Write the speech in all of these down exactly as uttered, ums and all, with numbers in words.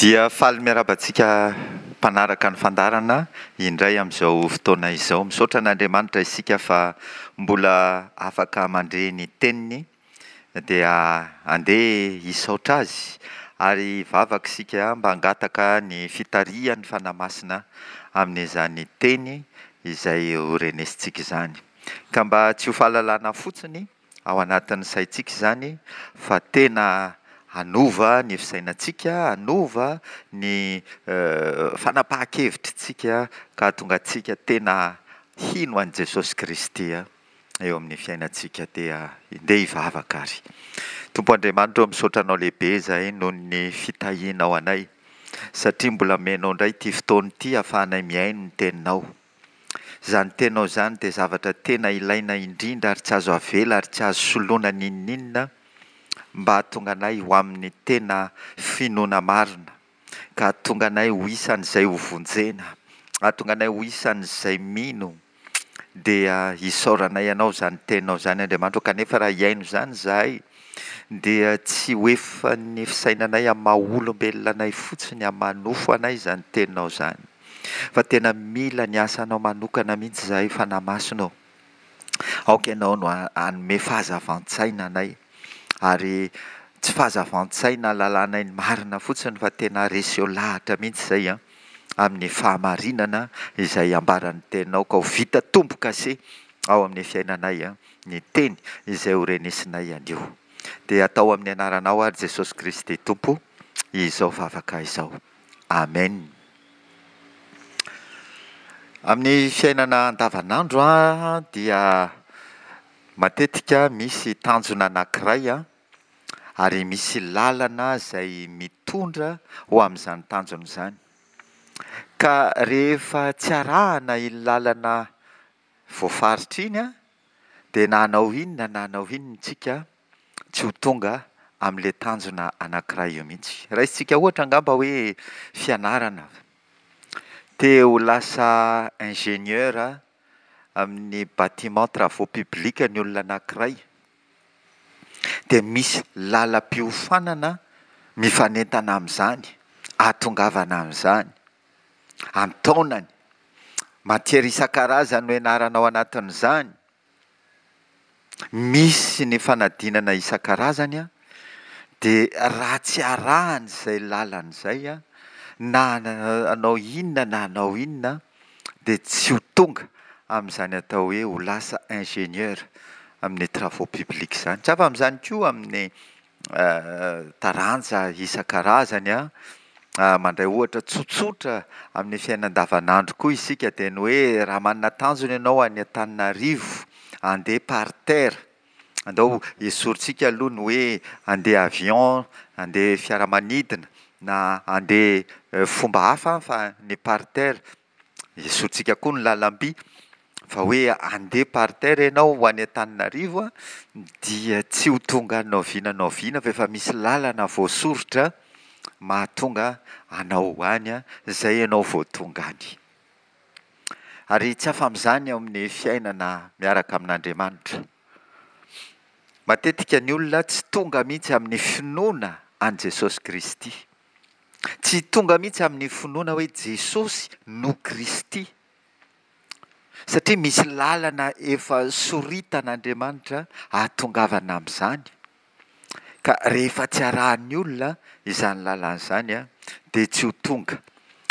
Dia faly miarahaba antsika mpanaraka ny fandaharana indray amin'izao fotoana izao. Misaotra an'Andriamanitra isika fa mbola afaka mandre ny teniny dia andeha hisaotra azy ary hivavaka isika mba hangataka ny fitarihan'ny Fanahy Masina amin'izany teny izay ho renesintsika izany. Ka mba tsy ho fahalalana fotsiny ao anatin'ny saintsika izany fa tena hanova ny fisainantsika, hanova ny fanapahan-kevitritsika ka hahatonga antsika tena hino an'i Jesosy Kristy eo amin'ny fiainantsika. Dia ndeha hivavaka ary. Tompo Andriamanitra ô, misaotra Anao lehibe izahay noho ny fitahianao anay, satria mbola omenao indray ity fotoana ity ahafahanay mihaino ny Teninao. Izany Teninao izany dia zavatra tena ilaina indrindra ary tsy azo avela ary tsy azo soloina n'inon'inona mba hahatonga anay ho amin'ny tena finoana marina, ka hahatonga anay ho isan'izay ho vonjena, hahatonga anay ho isan'izay mino. Dia isaoranay Anao izany Teninao izany, Andriamanitra ô, kanefa raha hihaino izany izahay dia tsy ho efan'ny fisainanay amin'ny maha olombelona anay fotsiny, amin'ny maha nofo anay izany Teninao izany, fa tena mila ny asanao manokana mihitsy izahay, Fanahy Masina ô. Aoka Ianao no hanome fahazavan-tsaina anay, ary tsy fahazavan-tsaina ahalalanay ny marina fotsiny fa tena reseo lahatra mihitsy izay an, amin'ny fahamarinana izay ambaran'ny Teninao, ka ho vita tombo-kase ao amin'ny fiainanay ny Teny izay ho renesinay anio. Dia atao amin'ny anaranao ary Jesosy Kristy Tompo izao vavaka izao. Amen. Amin'ny fiainana andavanandro dia matetika misy tanjona anankiray ary misy lalana izay mitondra ho amin'izany tanjona izany. Ka rehefa tsy arahana iny lalana voafaritra iny dia na hanao inona na hanao inona isika tsy ho tonga amin'ilay tanjona anankiray io mihitsy. Raisintsika ohatra angamba hoe fianarana. Te ho lasa ingénieur amin'ny bâtiment travaux publics ny olona anankiray. Dia misy lalam-piofanana mifanentana amin'izany, ahatongavana amin'izany, an-taonany. Matière isan-karazany no ianarana ao anatin'izany. Misy ny fanadinana isan-karazany, dia raha tsy arahana izay lalana izay, na hanao inona na hanao inona, dia tsy ho tonga amin'izany atao hoe ho lasa ingénieur amin'ny travaux publics izany. Tsy hafa amin'izany koa amin'ny taranja isan-karazany. Mandray ohatra tsotsotra amin'ny fiainana andavanandro koa isika, dia ny hoe raha manana tanjona ianao any Antananarivo handeha par terre, andao esorintsika aloha ny hoe handeha avion, handeha fiaramanidina na handeha fomba hafa fa ny par terre, esorintsika koa ny lalamby fa hoe handeha par terre ianao ho any Antananarivo dia tsy ho tonga any na oviana na oviana fa efa misy lalana voasoritra mahatonga anao ho any, izay ianao vao tonga any. Ary tsy hafa amin'izany eo amin'ny fiainana miaraka amin'Andriamanitra. Matetika ny olona tsy tonga mihitsy amin'ny finoana an'i Jesosy Kristy. Tsy tonga mihitsy amin'ny finoana hoe Jesosy no Kristy. Satria misy lalana efa soritan'Andriamanitra ahatongavana amin'izany. Ka rehefa tsy arahan'ny olona izany lalana izany dia tsy ho tonga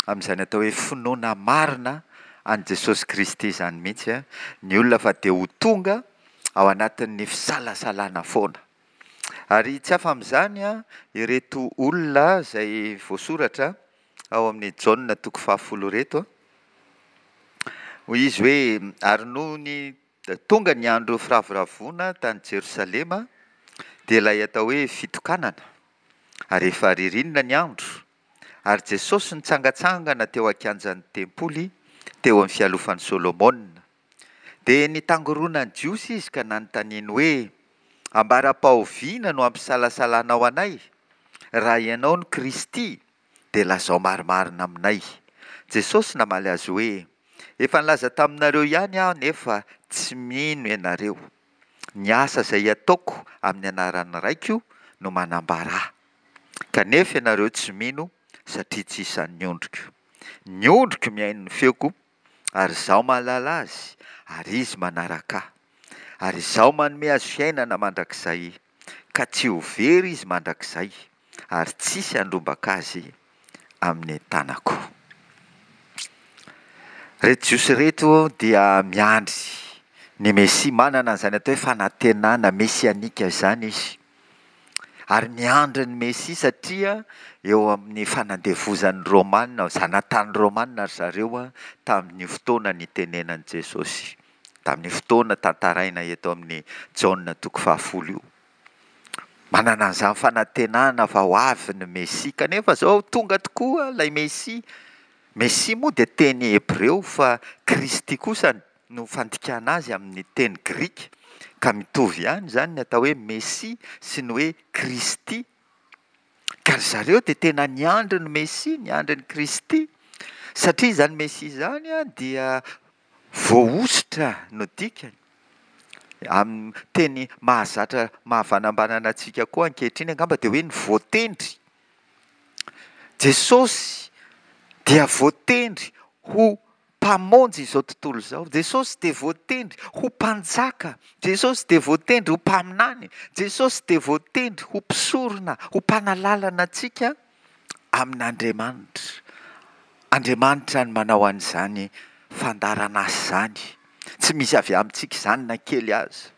amin'izany atao hoe finoana marina an'i Jesosy Kristy izany mihitsy ny olona fa dia ho tonga ao anatin'ny fisalasalana foana. Ary tsy hafa amin'izany ireto olona izay voasoratra ao amin'ny Jaona toko fahafolo ireto. Hoy izy hoe, ary nony tonga ny andro firavoravoana tany Jerosalema, dia ilay atao hoe fitokanana, ary efa ririnina ny andro, ary Jesosy nitsangantsangana teo an-kianjan'ny tempoly, teo amin'ny fialofan'i Solomona. Dia nitangorona ny Jiosy izy ka nanontaniany hoe, Ambara-pahoviana no hampisalasalanao anay? Raha ianao no Kristy, dia lazao marimarina aminay. Jesosy namaly azy hoe, Efa nilaza taminareo ihany aho nefa tsy mino ianareo. Ny asa izay ataoko amin'ny anaran'ny Raiko no manambara ahy. Kanefa ianareo tsy mino satria tsy isan'ny ondriko. Ny ondriko mihaino ny feoko, ary Izaho mahalala azy, ary izy manaraka Ahy. Ary Izaho manome azy fiainana mandrakizay, ka tsy ho very izy mandrakizay, ary tsy hisy handrombaka azy amin'ny tanako. Ireto Jiosy ireto dia miandry ny Mesia, manana an'izany atao hoe fanantenana mesianika izany izy. Ary miandry ny Mesia satria eo amin'ny fanandevozan'ny Romana, zanatany Romana ry zareo tamin'ny fotoana nitenenan'i Jesosy, tamin'ny fotoana tantaraina eto amin'ny Jaona toko fahafolo io. Manana an'izany fanantenana fa ho avy ny Mesia, kanefa izao tonga tokoa ilay Mesia. Mesia moa dia teny hebreo fa Kristy kosa no fandikana azy amin'ny teny grika, ka mitovy ihany izany ny atao hoe Mesia sy ny hoe Kristy. Ka ry zareo dia tena niandry ny Mesia, niandry ny Kristy, satria izany Mesia izany dia voahosotra no dikany. Amin'ny teny mahazatra mahavanambanana antsika koa ankehitriny angamba dia hoe ny voatendry. Jesosy dia voatendry ho Mpamonjy izao tontolo izao. Jesosy dia voatendry ho Mpanjaka. Jesosy dia voatendry ho Mpaminany. Jesosy dia voatendry ho Mpisorona, ho Mpanalalana antsika amin'Andriamanitra. Andriamanitra no manao an'izany fandaharan'asa izany. Tsy misy avy amintsika izany na kely aza.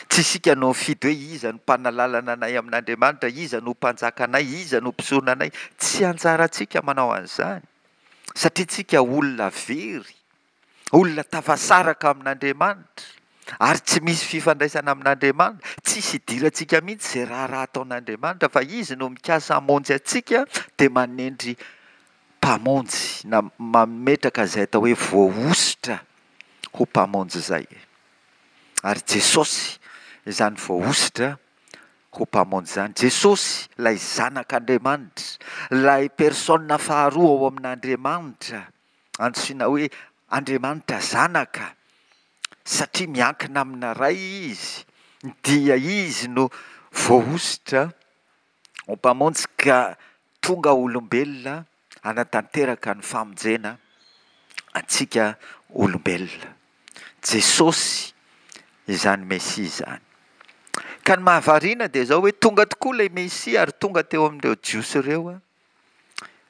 Tsy isika no mifidy hoe iza no mpanalalana anay amin'Andriamanitra, iza no mpanjaka anay, iza no mpisorona anay. Tsy anjarantsika manao an'izany. Satria tsika olona very, olona tafasaraka amin'Andriamanitra, ary tsy misy fifandraisana amin'Andriamanitra, tsisy idirantsika mihitsy izay raharaha ataon'Andriamanitra, fa Izy no mikasa hamonjy antsika, dia manendry mpamonjy, na mametraka izay atao hoe voahosotra ho mpamonjy izay. Ary Jesosy izany voahosotra ho Mpamonjy izany. Jesosy, ilay Zanak'Andriamanitra, ilay Personne faharoa ao amin'Andriamanitra, antsoina hoe Andriamanitra Zanaka, satria miankina amina Ray Izy, dia Izy no voahosotra ho Mpamonjy ka tonga olombelona hanatanteraka ny famonjena antsika olombelona. Jesosy izany Mesia izany. Ka ny mahavariana dia izao hoe tonga tokoa ilay Mesia ary tonga teo amin'ireo Jiosy ireo,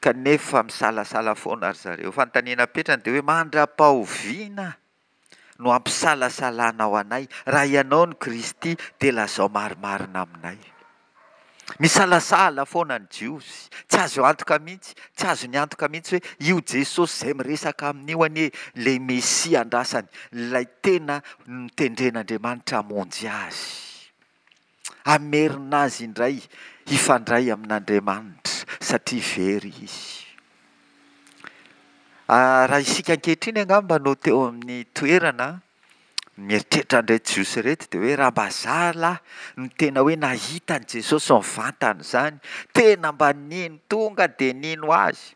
kanefa misalasala foana ry zareo. Fanontaniana apetrany dia hoe mandra-pahoviana no hampisalasalanao anay? Raha ianao no Kristy dia lazao marimarina aminay. Misalasala foana ny Jiosy. Tsy azo antoka mihitsy, tsy azony antoka mihitsy hoe io Jesosy izay miresaka aminy io anie ilay Mesia andrasany, ilay tena notendren'Andriamanitra hamonjy azy. Hamerina azy indray hifandray amin'Andriamanitra satria very izy. Raha isika ankehitriny angamba no teo amin'ny toerana mieritreritra an'ireto Jiosy ireto dia hoe raha mba za lahy no tena hoe nahita an'i Jesosy nivantana izany, tena mba nino, tonga dia nino azy.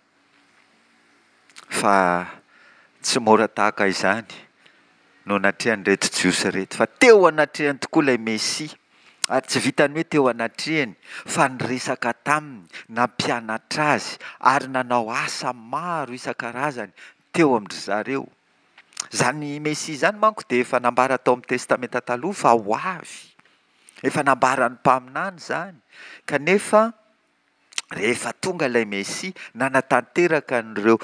Fa tsy mora tahaka izany no natrehan'ireto Jiosy ireto, fa teo anatrehany tokoa ilay Mesia, ary tsy vitan'ny hoe teo anatrehany fa niresaka taminy, nampianatra azy ary nanao asa maro isan-karazany teo amin-dry zareo. Izany Mesia izany manko dia efa nambara tao amin'ny Testamenta Taloha fa ho avy. Efa nambaran'ny mpaminany izany. Kanefa rehefa tonga ilay Mesia, nanatanteraka an'ireo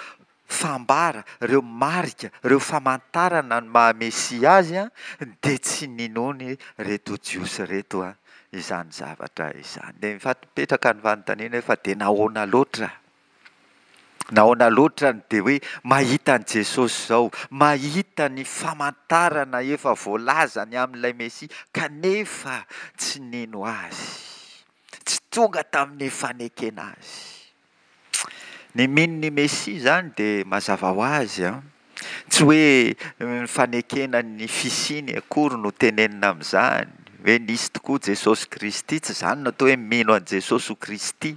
fambara, ireo marika, ireo famantarana ny maha Mesia azy, dia tsy ninoany ireto Jiosy ireto izany zavatra izany. Dia mifapipetraka ny fanontaniana hoe fa dia nahoana loatra? Nahoana loatra no dia hoe mahita an'i Jesosy izao, mahita ny famantarana efa voalaza ny amin'ilay Mesia, kanefa tsy nino Azy, tsy tonga tamin'ny fanekena Azy. Ny mino ny Mesia izany dia mazava ho azy an, tsy hoe ny fanekena ny fisiany akory no tenenina amin'izany, hoe nisy tokoa Jesosy Kristy, tsy izany no atao hoe mino an'i Jesosy ho Kristy.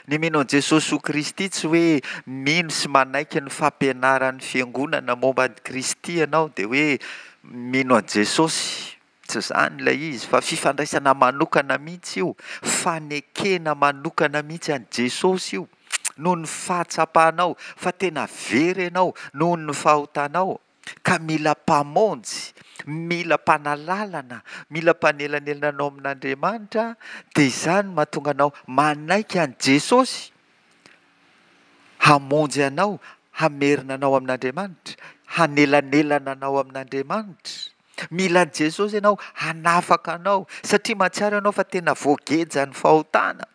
Ny mino an'i Jesosy ho Kristy tsy hoe mino sy manaiky ny fampianaran'ny fiangonana momba an'i Kristy ianao dia hoe mino an'i Jesosy. Tsy izany ilay izy fa fifandraisana manokana mihitsy io, fanekena manokana mihitsy an'i Jesosy io. noho ny fahatsapanao fa tena very ianao noho ny fahotanao, ka mila Mpamonjy, mila Mpanalalana, mila Mpanelanelana anao amin'Andriamanitra, dia izany no mahatonga anao manaiky an'i Jesosy hamonjy anao, hamerina anao amin'Andriamanitra, hanelanelana anao amin'Andriamanitra. Mila an'i Jesosy ianao hanafaka anao, satria mahatsiaro ianao fa tena voagejan'ny fahotana,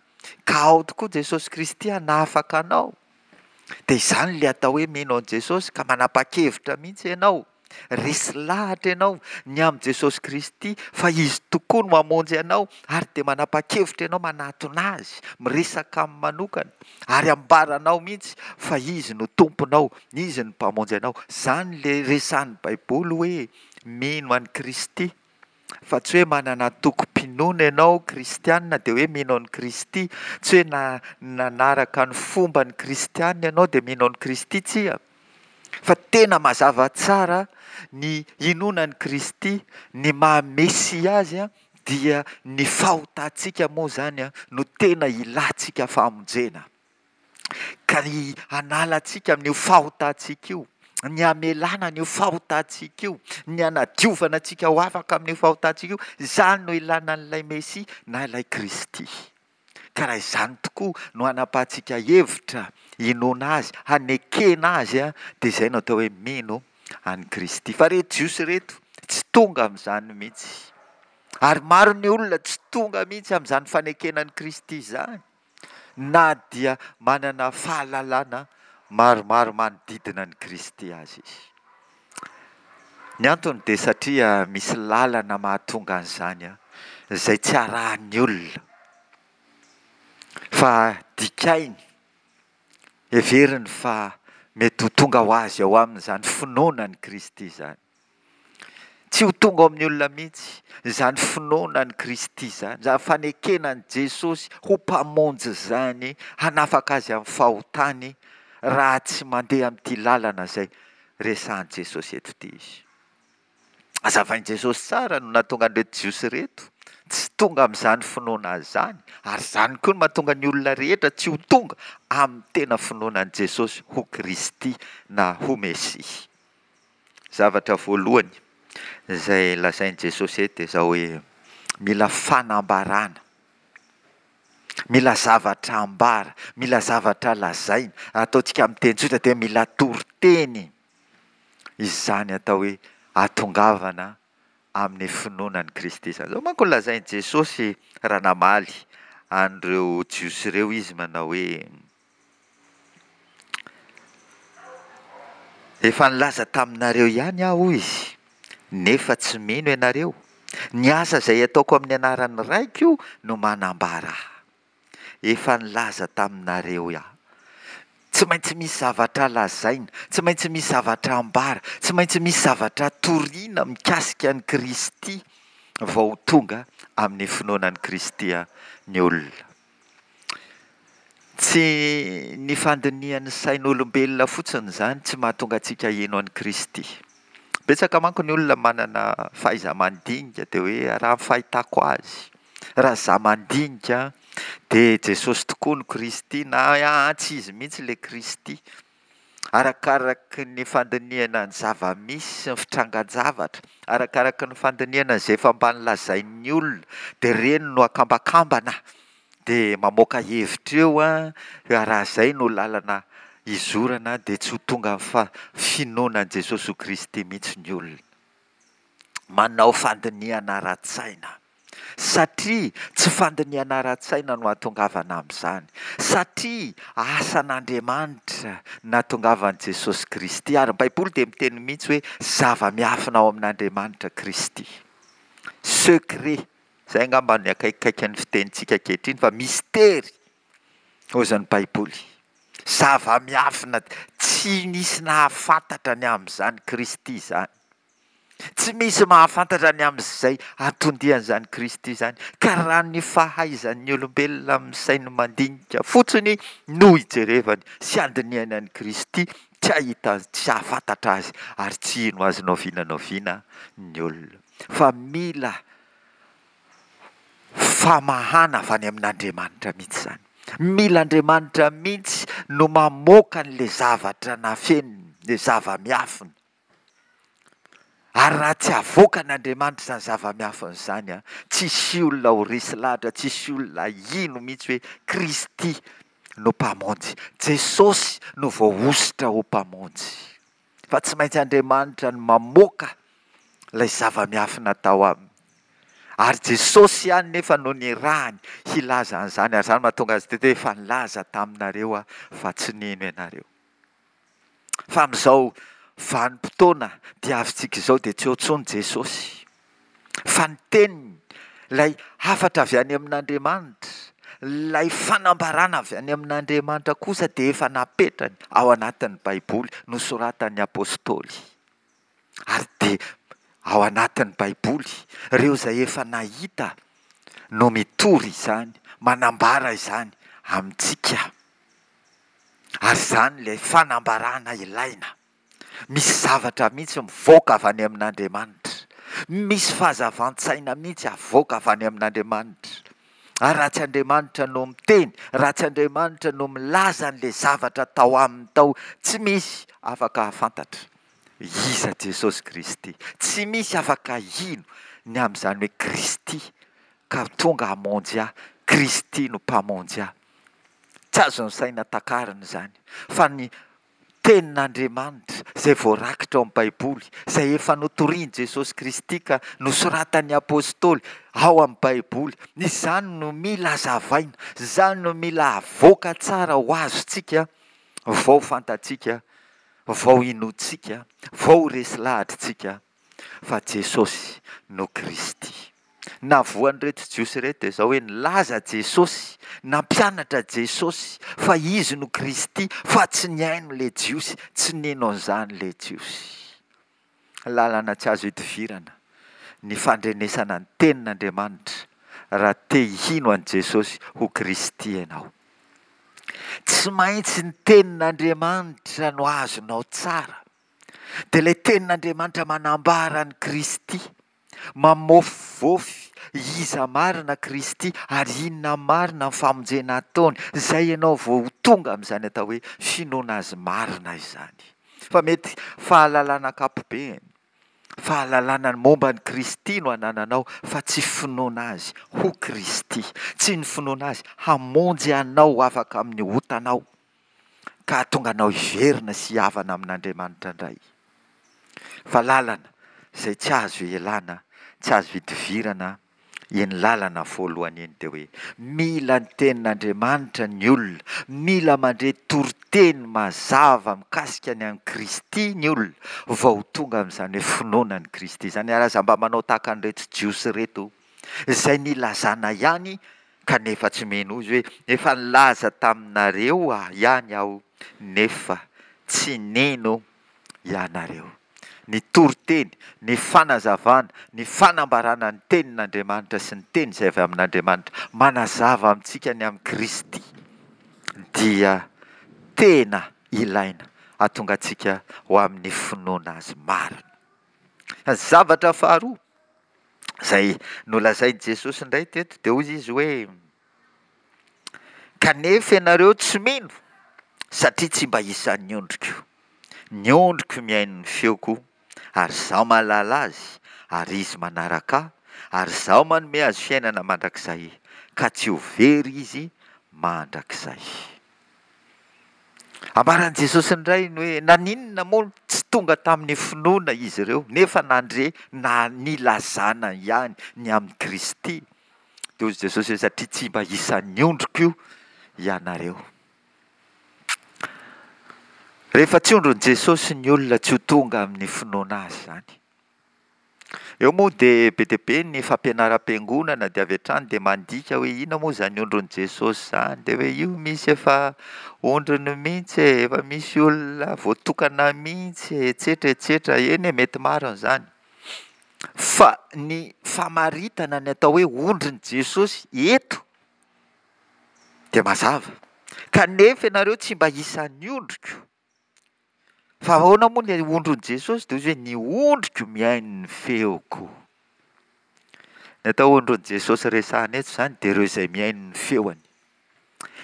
ka ao tokoa Jesosy Kristy hanafaka anao. Dia izany ilay atao hoe mino an'i Jesosy, ka manapa-kevitra mihitsy ianao, resy lahatra ianao ny amin'i Jesosy Kristy fa Izy tokoa no mamonjy anao, ary dia manapa-kevitra ianao manatona Azy, miresaka Aminy manokana, ary ambaranao mihitsy fa Izy no Tomponao, Izy no Mpamonjy anao. Izany ilay resahan'ny Baiboly hoe mino an'i Kristy. Fa tsy hoe manana antokom-pinoana ianao kristiana dia hoe mino an'i Kristy, tsy hoe na nanaraka ny fomban'ny kristiana ianao dia mino an'i Kristy, tsia. Fa tena mazava tsara ny inoana an'i Kristy, ny maha Mesia azy dia ny fahotantsika moa izany no tena ilantsika famonjena. Ka ny hanala antsika amin'io fahotantsika io, ny hamelana an'io fahotantsika io, ny hanadiovana antsika ho afaka amin'io fahotantsika io, izany no ilana an'ilay Mesia na ilay Kristy. Ka raha izany tokoa no hanapahantsika hevitra hinoana Azy, hanekena Azy, dia izay no atao hoe mino an'i Kristy. Fa ireto Jiosy ireto tsy tonga amin'izany mihitsy. Ary maro ny olona tsy tonga mihitsy amin'izany fanekena an'i Kristy izany. na dia manana fahalalana maromaro manodidina an'i Kristy aza izy. Ny antony dia satria misy lalana mahatonga an'izany izay tsy arahan'ny olona fa dikainy, heveriny fa mety ho tonga ho azy ao aminy izany finoana an'i Kristy izany. Tsy ho tonga ao amin'ny olona mihitsy izany finoana an'i Kristy izany, izany fanekena an'i Jesosy ho Mpamonjy izany, hanafaka azy amin'ny fahotany, raha tsy mandeha amin'ity lalana izay resahan'i Jesosy eto ity izy. Hazavain'i Jesosy tsara no nahatonga an'ireto Jiosy ireto tsy tonga amin'izany finoana azy izany, ary izany koa no mahatonga ny olona rehetra tsy ho tonga amin'ny tena finoana an'i Jesosy ho Kristy na ho Mesia. Zavatra voalohany izay lazain'i Jesosy eto dia izao hoe, mila fanambarana, mila zavatra ambara, mila zavatra lazaina, ataontsika amin'ny teny tsotra dia mila toriteny izany atao hoe ahatongavana amin'ny finoana an'i Kristy izany. Izao manko no lazain'i Jesosy raha namaly an'ireo Jiosy ireo izy manao hoe, Efa nilaza taminareo ihany aho, hoy izy, nefa tsy mino ianareo. Ny asa izay ataoko amin'ny anaran'ny Raiko no manambara ahy. Efa nilaza taminareo aho. Tsy maintsy misy zavatra lazaina, tsy maintsy misy zavatra ambara, tsy maintsy misy zavatra torina mikasika an'i Kristy vao ho tonga amin'ny finoana an'i Kristy ny olona. Tsy ny fandinihan'ny sain'olombelona fotsiny izany tsy mahatonga antsika hino an'i Kristy. Betsaka manko ny olona manana fahaiza-mandinika dia hoe raha ny fahitako azy, raha izaho mandinika dia Jesosy tokoa no Kristy na aa tsy izy mihitsy ilay Kristy. Arakaraky ny fandinihana ny zava-misy sy ny fitrangan-javatra, arakaraky ny fandinihana izay efa mba nolazain'ny olona dia ireny no akambakambana dia mamoaka hevitra eo an, raha izay no lalana hizorana dia tsy ho tonga amin'ny finoana an'i Jesosy ho Kristy mihitsy ny olona. Manao fandinihana ara-tsaina. Satria tsy fandinihana ara-tsaina no hahatongavana amin'izany. Satria asan'Andriamanitra nahatongavan'i Jesosy Kristy. Ary ny Baiboly dia miteny mihitsy hoe zava-miafina ao amin'Andriamanitra Kristy. Secret. Izay angamba no akaikikaikin'ny fitenintsika ankehitriny fa mistery hozy ny Baiboly. Zava-miafina tsy nisy nahafantatra ny amin'izany Kristy izany. Tsy misy mahafantatra ny amin'izay anton-dian'izany Kristy izany, ka raha ny fahaizan'ny olombelona amin'ny sainy mandinika fotsiny no ijerevany sy andinihany an'i Kristy, tsy hahita azy, tsy hahafantatra azy ary tsy hino azy n'oviana n'oviana ny olona. Fa mila famahana avy any amin'Andriamanitra mihitsy izany. Mila Andriamanitra mihitsy no mamoaka an'ilay zavatra nafeniny, ilay zava-miafina. Ary raha tsy avoakan'Andriamanitra izany zava-miafina izany an, tsy hisy olona ho resy lahatra, tsy hisy olona hino mihitsy hoe Kristy no Mpamonjy, Jesosy no voahosotra ho Mpamonjy. Fa tsy maintsy Andriamanitra no mamoaka ilay zava-miafina tao aminy. Ary Jesosy ihany nefa no nirahany hilaza an'izany, ary izany mahatonga azy teto hoe efa nilaza taminareo aho fa tsy nino ianareo. Fa amin'izao vanim-potoana diavintsika izao dia tsy eo intsony Jesosy. Fa ny teniny, ilay hafatra avy any amin'Andriamanitra, ilay fanambarana avy any amin'Andriamanitra kosa dia efa napetrany ao anatin'ny Baiboly nosoratan'ny Apostoly. Ary dia ao anatin'ny Baiboly, ireo izay efa nahita no mitory izany, manambara izany amintsika. Ary izany ilay fanambarana ilaina. Misy zavatra mihitsy mivoaka avy any amin'Andriamanitra. Misy fahazavan-tsaina mihitsy avoaka avy any amin'Andriamanitra. Ary raha tsy Andriamanitra no miteny, raha tsy Andriamanitra no milaza an'ilay zavatra tao aminy tao, tsy misy afaka hahafantatra iza Jesosy Kristy. Tsy misy afaka hino ny amin'izany hoe Kristy ka tonga hamonjy ahy, Kristy no Mpamonjy ahy. Tsy azon'ny saina takarina izany, fa ny Tenin'Andriamanitra izay voarakitra ao amin'ny Baiboly, izay efa notorian'i Jesosy Kristy ka nosoratan'ny Apostoly ao amin'ny Baiboly, izany no mila hazavaina, izany no mila avoaka tsara ho azontsika vao fantatsika, vao inoantsika, vao ho resy lahatritsika fa Jesosy no Kristy. Navoan'ireto Jiosy ireto dia izao hoe nilaza Jesosy, nampianatra Jesosy fa Izy no Kristy fa tsy nihaino ilay Jiosy, tsy nino an'izany ilay Jiosy. Lalana tsy azo idivirana ny fandrenesana ny tenin'Andriamanitra raha te hino an'i Jesosy ho Kristy ianao. Tsy maintsy ny tenin'Andriamanitra no azonao tsara. Dia ilay tenin'Andriamanitra manambara an'i Kristy, mamôfivôfy iza marina Kristy ary inona marina ny famonjena ataony, izay ianao vao ho tonga amin'izany atao hoe finoana azy marina izany. Fa mety fahalalana ankapobeny, fahalalana ny momba an'i Kristy no anananao fa tsy finoana azy ho Kristy, tsy ny finoana azy hamonjy anao ho afaka amin'ny otanao ka hahatonga anao hiverina sy hihavana amin'Andriamanitra indray. Fa lalana izay tsy azo ialana, tsy azo idivirana iny lalana voalohany iny dia hoe mila ny tenin'Andriamanitra ny olona, mila mandre toriteny mazava mikasika ny an'i Kristy ny olona vao ho tonga amin'izany hoe finoana an'i Kristy izany. Ary aza mba manao tahaka an'ireto Jiosy ireto izay nilazana ihany kanefa tsy mino. Hoy izy hoe efa nilaza taminareo ihany aho nefa tsy nino ianareo. Ny toriteny, ny fanazavana, ny fanambarana ny tenin'Andriamanitra sy ny teny izay avy amin'Andriamanitra manazava amintsika ny amin'i Kristy dia tena ilaina hahatonga antsika ho amin'ny finoana Azy marina. Ny zavatra faharoa izay nolazain'i Jesosy indray teto dia hoy izy hoe kanefa ianareo tsy mino satria tsy mba isan'ny ondriko. Ny ondriko mihaino ny feoko ary izaho mahalala azy ary izy manaraka ahy ary izaho manome azy fiainana mandrakizay ka tsy ho very izy mandrakizay. Ambaran'i Jesosy indray ny hoe naninona moa tsy tonga tamin'ny finoana izy ireo nefa nandre na nilazana ihany ny amin'i Kristy. Dia hoy Jesosy hoe satria tsy mba isan'ny ondriko ianareo. Rehefa tsy ondrin'i Jesosy ny olona tsy ho tonga amin'ny finoana azy izany. Eo moa dia be dia be ny fampianaram-piangonana dia avy hatrany dia mandika hoe inona moa izany ondrin'i Jesosy izany, dia hoe io misy efa ondriny mihitsy e, efa misy olona voatokana mihitsy e, etsetra etsetra, eny e, mety marina izany. Fa ny famaritana ny atao hoe ondrin'i Jesosy eto dia mazava. Kanefa ianareo tsy mba isan'ny ondriko. Fa ahoana moa ny ondrin'i Jesosy? Dia hoy izy hoe ny ondriko mihaino ny feoko. Ny atao ondrin'i Jesosy resahana eto izany dia ireo izay mihaino ny feony.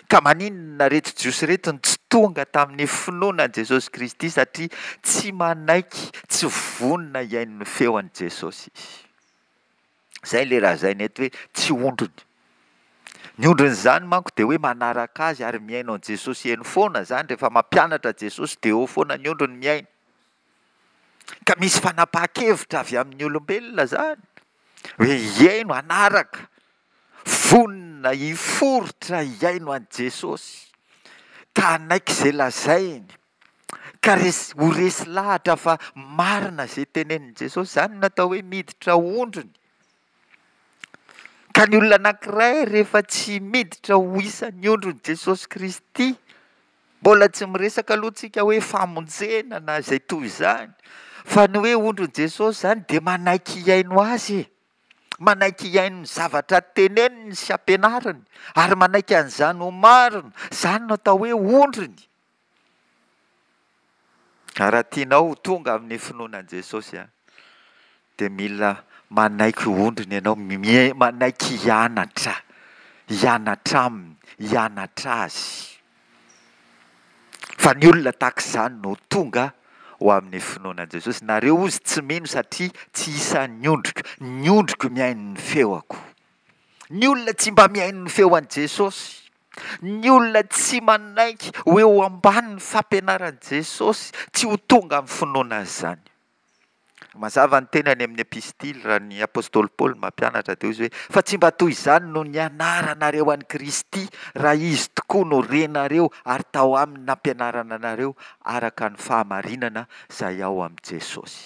Ka maninona ireto Jiosy ireto no tsy tonga tamin'ny finoana an'i Jesosy Kristy? Satria tsy manaiky, tsy vonona hihaino ny feo an'i Jesosy izy. Izay ilay lazaina eto hoe tsy ondriny. Ny ondrin'izany manko dia hoe manaraka azy ary mihaino an'i Jesosy eny foana izany, rehefa mampianatra Jesosy dia eo foana ny ondriny mihaino. Ka misy fanapahan-kevitra avy amin'ny olombelona izany hoe hihaino, hanaraka, vonona hiforitra hihaino an'i Jesosy ka hanaiky izay lazainy, ka resy, ho resy lahatra fa marina izay tenenin'i Jesosy. Izany no atao hoe miditra ondriny. Ka ny olona anankiray rehefa tsy miditra ho isan'ny ondrin'i Jesosy Kristy, mbola tsy miresaka aloha tsika hoe famonjena na izay toy izany, fa ny hoe ondrin'i Jesosy izany dia manaiky hihaino Azy e. Manaiky hihaino ny zavatra teneniny sy ampianariny, ary manaiky an'izany ho marina. Izany no atao hoe ondriny. Ka raha tianao ho tonga amin'ny finoana an'i Jesosy, dia mila manaiky ho ondriny ianao, manaiky hianatra, hianatra aminy, hianatra azy. Fa ny olona tahaka izany no tonga ho amin'ny finoana an'i Jesosy. Nareo hozy tsy mino satria tsy isan'ny ondriko, ny ondriko mihaino ny feoko. Ny olona tsy mba mihaino ny feo an'i Jesosy. Ny olona tsy manaiky ho eo ambanin'ny fampianaran'i Jesosy tsy ho tonga amin'ny finoana an'izany. Mazava ny teny any amin'ny epistily raha ny apostoly Paoly mampianatra dia hoy izy hoe fa tsy mba toy izany no nianaranareo an'i Kristy raha izy tokoa no renareo ary tao aminy nampianarana anareo araka ny fahamarinana izay ao amin'i Jesosy.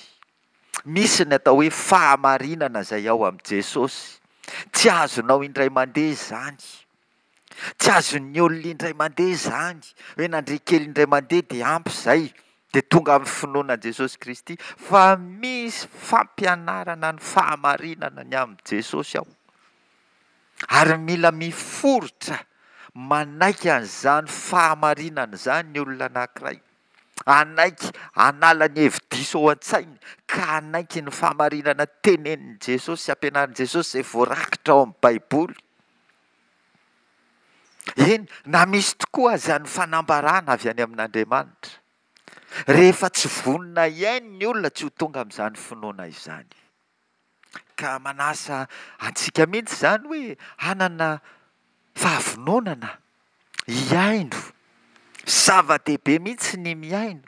Misy ny atao hoe fahamarinana izay ao amin'i Jesosy. Tsy azonao indray mandeha izany. Tsy azon'ny olona indray mandeha izany, hoe nandre kely indray mandeha dia ampy izay, dia tonga amin'ny finoana an'i Jesosy Kristy, fa misy fampianarana ny fahamarinana ny amin'i Jesosy ao. Ary mila miforitra manaiky an'izany fahamarinana izany ny olona anankiray. Hanaiky hanala ny hevi-diso ao an-tsainy ka hanaiky ny fahamarinana tenenin'i Jesosy sy ampianarin'i Jesosy izay voarakitra ao amin'ny Baiboly. Eny, na misy tokoa aza ny fanambarana avy any amin'Andriamanitra, rehefa tsy vonona hihaino ny olona tsy ho tonga amin'izany finoana izany. Ka manasa antsika mihitsy izany hoe hanana fahavononana hihaino. Zava-dehibe mihitsy ny mihaino.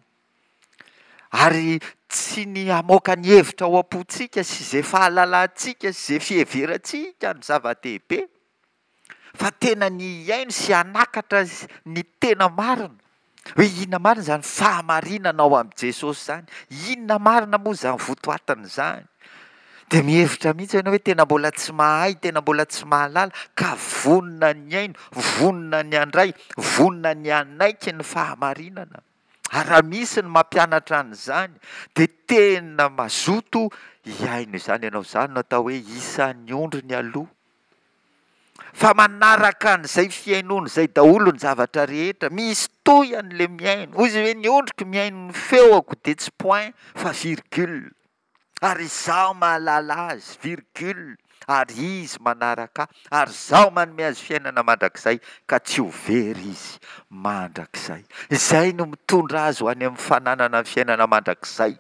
Ary tsy ny hamoaka ny hevitra ao am-pontsika sy izay fahalalantsika sy izay fiheverantsika no zava-dehibe, fa tena ny hihaino sy hanakatra ny tena marina. Hoe inona marina izany fahamarinana ao amin'i Jesosy izany? Inona marina moa izany votoatiny izany? Dia mihevitra mihitsy ianao hoe tena mbola tsy mahay, tena mbola tsy mahalala, ka vonona ny hihaino, vonona ny handray, vonona ny hanaiky ny fahamarinana. Ary raha misy ny mampianatra an'izany, dia tena mazoto hihaino izany ianao. Izany no atao hoe isan'ny ondriny aloha. Fa manaraka an'izay fihainoana izay daholo ny zavatra rehetra. Misy toy an'ilay mihaino. Hoy izy hoe ny ondriko mihaino ny feoko dia tsy point fa virgule. Ary izaho mahalala azy, virgule, ary izy manaraka ahy, ary izaho manome azy fiainana mandrakizay, ka tsy ho very izy mandrakizay. Izay no mitondra azy ho any amin'ny fananana ny fiainana mandrakizay.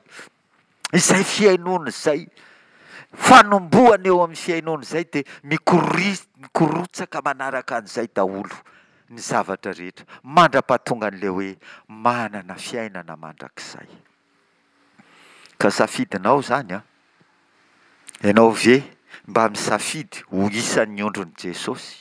Izay fihainoana izay, fanombohana eo amin'ny fihainoana izay dia mikori-, mikorotsaka manaraka an'izay daholo ny zavatra rehetra, mandra-pahatonga an'ilay hoe manana fiainana mandrakizay. Ka safidinao izany an! Ianao ve mba misafidy ho isan'ny ondrin'i Jesosy?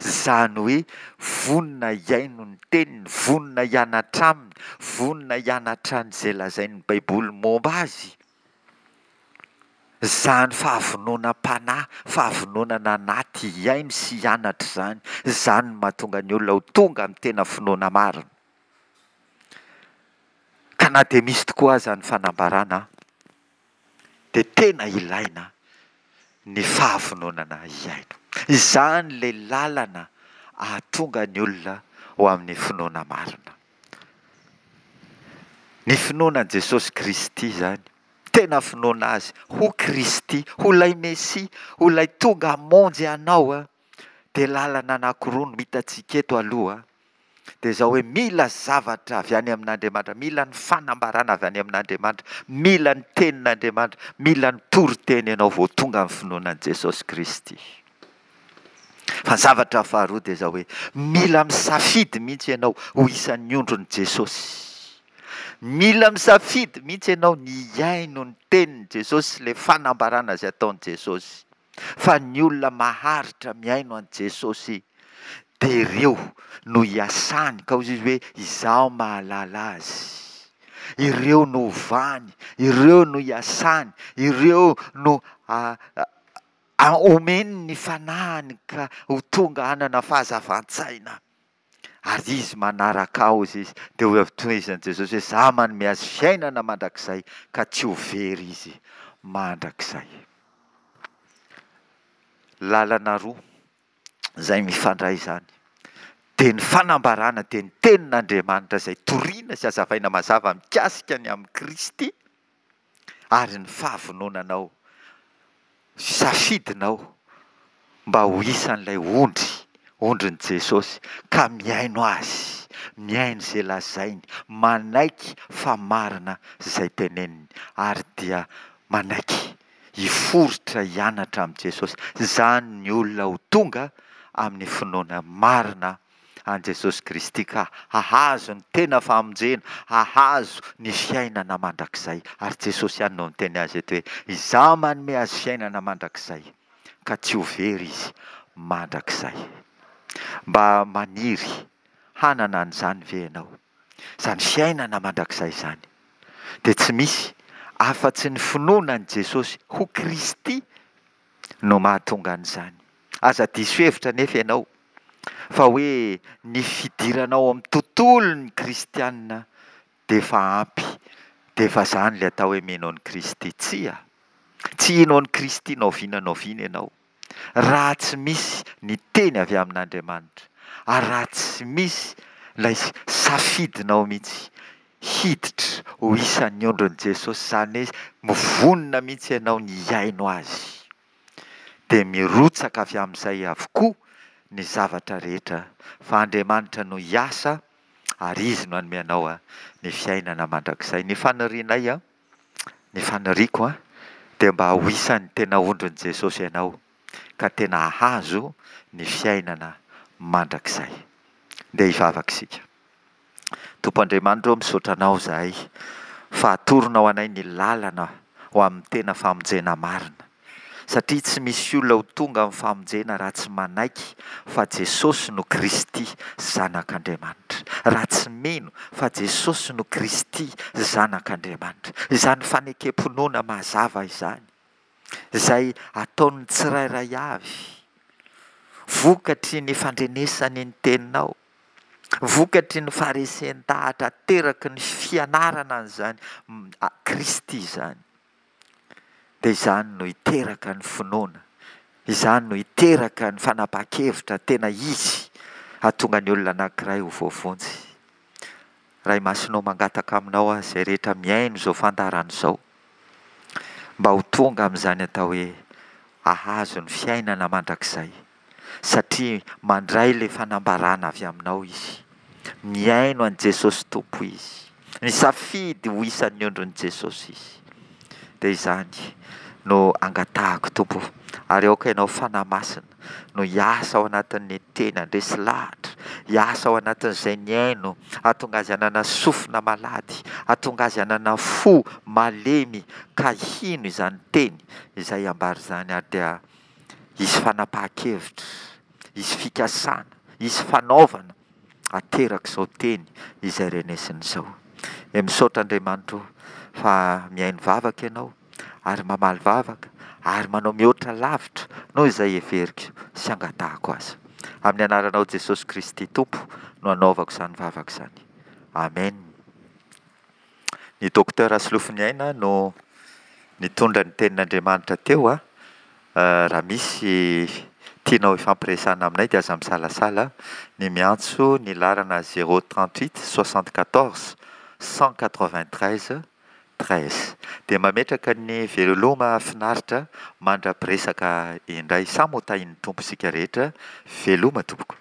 Izany hoe vonona hihaino ny teniny, vonona hianatra aminy, vonona hianatra an'izay lazain'ny Baiboly momba azy? Izany fahavononam-panahy, fahavononana anaty hihaino sy hianatra izany, izany no mahatonga ny olona ho tonga amin'ny tena finoana marina. Ka na dia misy tokoa aza ny fanambarana dia tena ilaina ny fahavononana hihaino. Izany ilay lalana ahatonga ny olona ho amin'ny finoana marina. Ny finoana an'i Jesosy Kristy izany, tena finoana Azy ho Kristy, ho ilay Mesia, ho ilay tonga hamonjy anao, dia lalana anankiroa no hitantsika eto aloha. dia izao hoe mila zavatra avy any amin'Andriamanitra, mila ny fanambarana avy any amin'Andriamanitra, mila ny tenin'Andriamanitra, mila ny toriteny ianao vao tonga amin'ny finoana an'i Jesosy Kristy. Fa ny zavatra faharoa dia izao hoe mila misafidy mihitsy ianao ho isan'ny ondrin'i Jesosy. Mila misafidy mihitsy ianao ny hihaino ny tenin'i Jesosy sy ilay fanambarana izay ataon'i Jesosy. Fa ny olona maharitra mihaino an'i Jesosy dia ireo no iasany, ka hoy izy hoe izaho mahalala azy. Ireo no ovany, ireo no iasany, ireo no omeny ny fanahiny ka ho tonga hanana fahazavan-tsaina. Ary izy manaraka ahy, hoy izy. Dia hoy avy tohizan'i Jesosy hoe, Izaho manome azy fiainana mandrakizay, ka tsy ho very izy mandrakizay. Lalana roa izay mifandray izany, dia ny fanambarana, dia ny tenin'Andriamanitra izay torina sy hazavaina mazava mikasika ny amin'i Kristy, ary ny fahavononanao sy safidinao mba ho isan'ilay ondry, ondrin'i Jesosy, ka mihaino Azy, mihaino izay lazainy, manaiky fa marina izay teneniny, ary dia manaiky hiforitra hianatra amin'i Jesosy. Izany ny olona ho tonga amin'ny finoana marina an'i Jesosy Kristy ka hahazo ny tena famonjena, hahazo ny fiainana mandrakizay. Ary Jesosy ihany no niteny azy eto hoe, Izaho manome azy fiainana mandrakizay, ka tsy ho very izy mandrakizay. Mba maniry hanana an'izany ve ianao? Izany fiainana mandrakizay izany dia tsy misy afa-tsy ny finoana an'i Jesosy ho Kristy no mahatonga an'izany. Aza diso hevitra anefa ianao fa hoe ny fidirana ao amin'ny tontolon'ny kristiana dia efa ampy, dia efa izany ilay atao hoe mino an'i Kristy. Tsia, tsy hino an'i Kristy na oviana na oviana ianao raha tsy misy ny teny avy amin'Andriamanitra, ary raha tsy misy ilay safidinao mihitsy hiditra ho isan'ny ondrin'i Jesosy, izany hoe mivonona mihitsy ianao ny hihaino Azy, dia mirotsaka avy amin'izay avokoa ny zavatra rehetra, fa Andriamanitra no hiasa ary Izy no hanome anao ny fiainana mandrakizay. Ny fanirianay, ny faniriako dia mba ho isan'ny tena ondrin'i Jesosy ianao, ka tena hahazo ny fiainana mandrakizay. Ndeha hivavaka isika. Tompo Andriamanitra ô, misaotra Anao izahay fa atoronao anay ny lalana ho amin'ny tena famonjena marina, satria tsy misy olona ho tonga amin'ny famonjena raha tsy manaiky fa Jesosy no Kristy Zanak'Andriamanitra, raha tsy mino fa Jesosy no Kristy Zanak'Andriamanitra. Izany fanekem-pinoana mazava izany, izay ataon'ny tsirairay avy, vokatry ny fandrenesany ny teninao, vokatry ny faharesen-dahatra ateraky ny fianarana an'izany Kristy izany, dia izany no hiteraka ny finoana, izany no hiteraka ny fanapahan-kevitra tena izy hahatonga ny olona anankiray ho voavonjy. Ray Masina ô, mangataka aminao aho izay rehetra mihaino izao fandaharana izao, mba ho tonga amin'izany atao hoe hahazo ny fiainana mandrakizay, satria mandray ilay fanambarana avy aminao izy, mihaino an'i Jesosy Tompo izy, misafidy ho isan'ny ondrin'i Jesosy izy. Dia izany no angatahako Tompo, ary aoka ianao Fanahy Masina no hiasa ao anatin'ny teny, handresy lahatra, hiasa ao anatin'izay nihaino, hahatonga azy hanana sofina malady, hahatonga azy hanana fo malemy ka hino izany teny izay ambara izany, ary dia hisy fanapahan-kevitra, hisy fikasana, hisy fanaovana aterak'izao teny izay renesina izao. Dia misaotra Andriamanitra o, fa mihaino vavaka ianao, ary mamaly vavaka, ary manao mihoatra lavitra noho izay heveriko sy angatahako aza. Amin'ny anaranao Jesosy Kristy Tompo no anaovako izany vavaka izany. Amen. Ny Docteur Solofoniaina no nitondra ny tenin'Andriamanitra teo a. Raha misy tianao hifampiresahana aminay dia aza misalasala ny miantso ny laharana zéro trente-huit soixante-quatorze cent quatre-vingt-treize treize. Dia mametraka ny veloma finaritra mandra-piresaka indray. Samy ho tahin'ny Tompo isika rehetra. Veloma tompoko.